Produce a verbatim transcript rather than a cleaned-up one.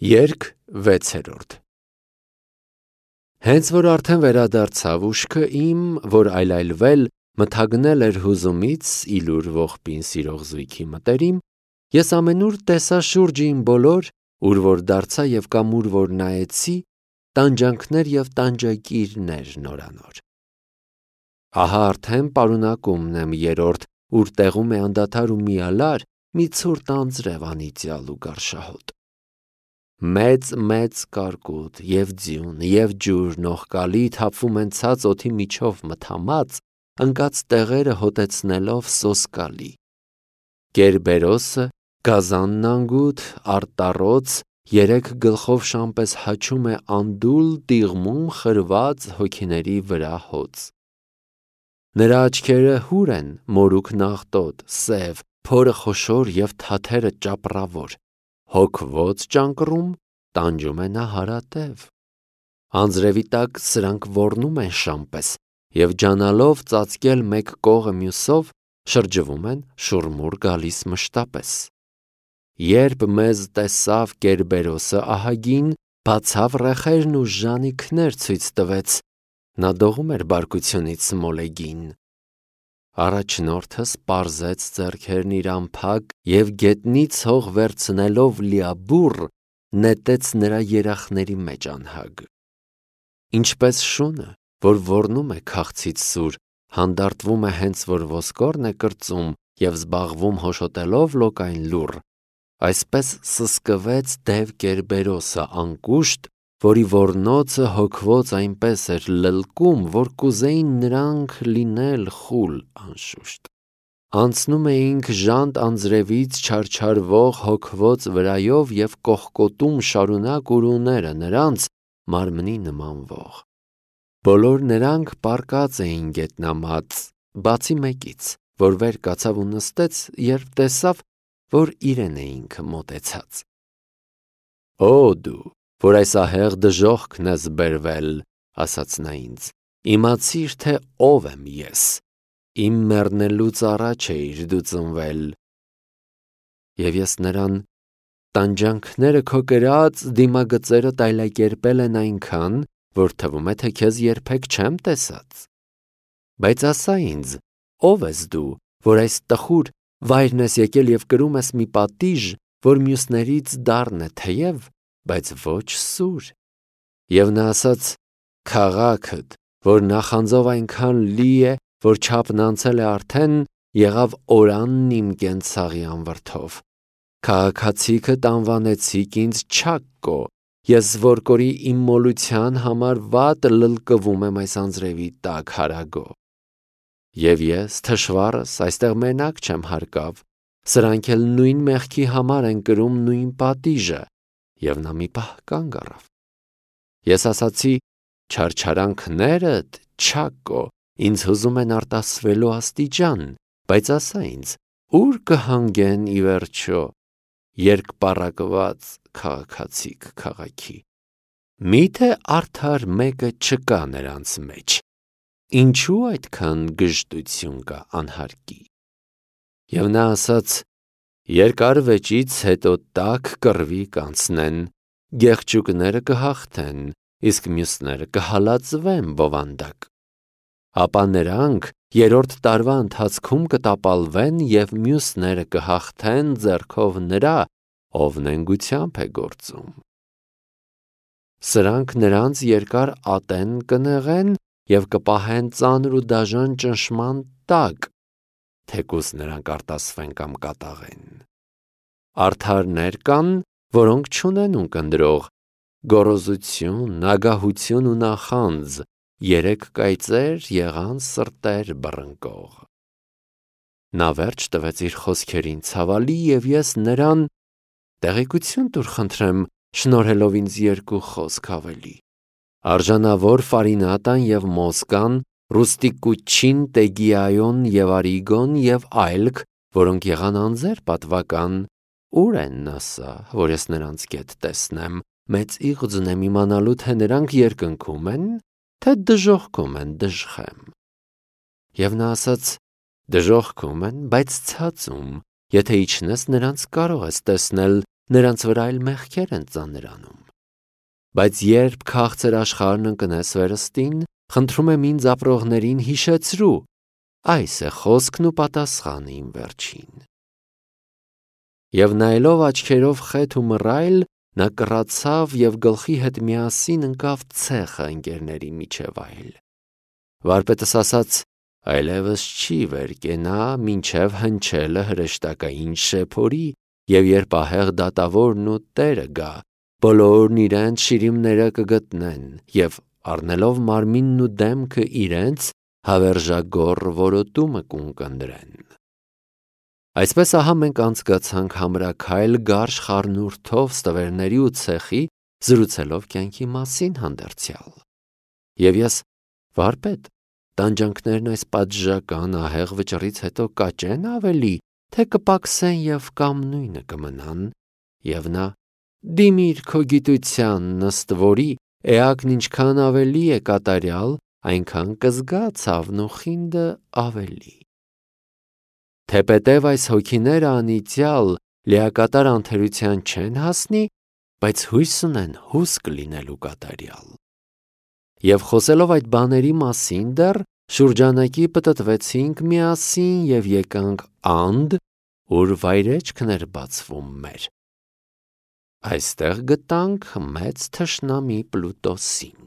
Երգ վեցերորդ Հենց որ արդեն վերադարձավ ուշքը իմ, որ այլայլվել, մթագնել էր հուզումից իլուր ողբին սիրող զույգի մտերիմ, ես ամենուր տեսա շուրջը իմ բոլոր, ուր որ դարձա և կամ ուր որ նայեցի, տանջանքներ և տանջակիրներ նորանոր։ Ահա արդեն պարունակումն եմ երրորդ, ուր տեղում է անդադար ու միալար մի ցուրտ անձրև անիծյալ ու գարշահոտ։ Մեծ-մեծ կարկուտ և ձյուն և ջուր նողկալի թափվում են ցած օդի միջով մթամած, ընկած տեղերը հոտեցնելով սոսկալի։ Կերբերոսը, գազանն անգութ, արտառոց, երեք գլխով շան պես հաչում է անդուլ տիղմում խրված հոգիների վրա հոծ։ Նրա աչքերը հուր են, մորուք նաղտոտ, սև, փորը խոշոր և թաթերը ճապռավոր, հոգվոց ճանկռում, տանջում է նա հարատև։ Անձրևի տակ սրանք ոռնում են շան պես և ջանալով ծածկել մեկ կողը մյուսով, շրջվում են շուռմուռ գալիս մշտապես։ Երբ մեզ տեսավ Կերբերոսը ահագին, բացավ ռեխերն ու ժանիքներ ցույց տվեց, նա դողում էր բարկությունից մոլեգին։ Առաջնորդս պարզեց ձեռքերն իր անփակ և գետնից հող վերցնելով լիաբուռ, նետեց նրա երախների մեջ անհագ։ Ինչպես շունը, որ ոռնում է քաղցից սուր, հանդարտվում է հենց որ ոսկորն է կրծում և զբաղվում հոշոտելով լոկային լուռ, այսպես սսկվեց դև Կերբերոսը անկուշտ, որի ոռնոցը հոգվոց այնպես էր լլկում, որ կուզեին նրանք լինել խուլ անշուշտ։ Անցնում էինք ժանտ անձրևից չարչարվող հոգվոց վրայով և կողկոտում շարունակ ուրուները նրանց մարմնի նմանվող։ Բոլոր նրանք պառկած էին գետնամած, բացի մեկից, որ վեր կացավ ու նստեց, երբ տեսավ, որ իրեն էինք մոտեցած։ Օ դու, որ այս ահեղ դժոխքն ես բերվել, ասաց նա ինձ, իմացիր, թե ով եմ ես, իմ մեռնելուց առաջ էիր դու ծնվել։ Եվ ես նրան տանջանքները քո կրած դիմագծերը տայլակերպել են այնքան, որ թվում է, թե քեզ երբեք չեմ տեսած։ Բայց ասա ինձ, ով ես դու, որ այս տխուր վայրն ես եկել և կրում ես մի պատիժ, որ մյուսներից դառն է թեև, բայց ոչ սուր։ Եվ նա ասաց. քաղաքդ, որ նախանձով այնքան լի է, որ չափն անցել է արդեն, եղավ օրանն իմ կենցաղի անվրդով։ Քաղաքացիքդ անվանեցիք ինձ Չակկո, ես որ կորի իմ մոլության համար վատ լլկվում եմ այս անձրևի տակ հարագո։ Եվ ես, թշվառս, այստեղ մենակ չեմ հարկավ, սրանք էլ նույն մեղքի համար են կրում նույն պատիժը։ Եվ նա մի պահ կանգ առավ։ Ես ասացի. չարչարանքներդ, Չակկո, ինձ հուզում են արտասվելու աստիճան, բայց ասա ինձ, ուր կհանգեն ի վերջո երկպառակված քաղաքացիք քաղաքի։ Մի՞թե արդար մեկը չկա նրանց մեջ, ինչու այդքան գժտություն կա անհարկի։ Եվ նա ասաց. երկար վեճից հետո տաք կռվի կանցնեն, գեղջուկները կհաղթեն, իսկ մյուսները կհալածվեն բովանդակ։ Ապա նրանք երրորդ տարվա ընթացքում կտապալվեն և մյուսները կհաղթեն ձեռքով նրա, ով նենգությամբ է գործում։ Սրանք նրանց երկար ատեն կնեղեն և կպահեն ծանր ու դաժան ճնշման տակ, թեկուզ նրանք արտասվեն կամ կատաղեն։ Արդարներ կան, որոնք չունեն ունկնդրող, գոռոզություն, ագահություն ու նախանձ, երեք կայծեր եղան սրտեր բռնկող։ Նա վերջ տվեց իր խոսքերին ցավալի և ես նրան տեղեկություն տուր խնդրեմ, շնորհելով ինձ երկու խոսք ավելի։ Արժանավոր Ֆարինատան և Մոսկան, Ռուստիկուչին, Տեգիայոն և Արիգոն և այլք, որոնք եղան անձեր պատվական, ուր են ասա, որ ես նրանց գետ տեսնեմ, մեծ իղձ ունեմ իմանալու, թե նրանք երկնքում են, թե դժոխքում են դժխեմ։ Եվ նա ասաց. դժոխքում են, բայց ցածում, եթե իջնես նրանց կարող ես տեսնել, նրանց վրա էլ մեղքեր են ծանրանում։ Բայց երբ քաղցր աշխարհն ընկնես վերստին, խնդրում եմ ինձ ապրողներին հիշեցրու, այս է խոսքն ու պատասխանը իմ վերջին։ Եվ նայելով աչքերով խեթ ու մռայլ, նա կռացավ և գլխի հետ միասին ընկավ ցեխը ընկերների միջև այլ։ Վարպետս ասաց. այլևս չի վեր կենա, մինչև հնչելը հրեշտակային շեփորի, և երբ ահեղ դատավորն ու տերը գա, բոլորն իրենց շիրիմները կգտնեն, և առնելով մարմինն ու դեմքը իրենց, հավերժագոռ որոտումը կունկնդրեն։ Այսպես ահա մենք անցկացանք համրաքայլ գարշ խառնուրդով ստվերների ու ցեխի, զրուցելով կյանքի մասին հանդերձյալ։ Եվ ես, վարպետ, տանջանքներն այս պատժական ահեղ վճռից հետո կաճեն ավելի, թե կպակսեն և կամ նույնը կմնան, և նա. դիմիր քո գիտությանն, ըստ որի էակն ինչքան ավելի է կատարյալ, այնքան կզգա ցավն ու խինդը ավելի։ Թեպետև այս հոգիները անիծյալ լիակատար անթերության չեն հասնի, բայց հույս ունեն հուսք լինելու կատարյալ։ Եվ խոսելով այդ բաների մասին դեռ, շուրջանակի պտտվեցինք միասին և եկանք անդ, ուր վայրեջքն էր բացվում մեր։ Այստեղ գտանք մեծ թշնամի Պլուտոսին։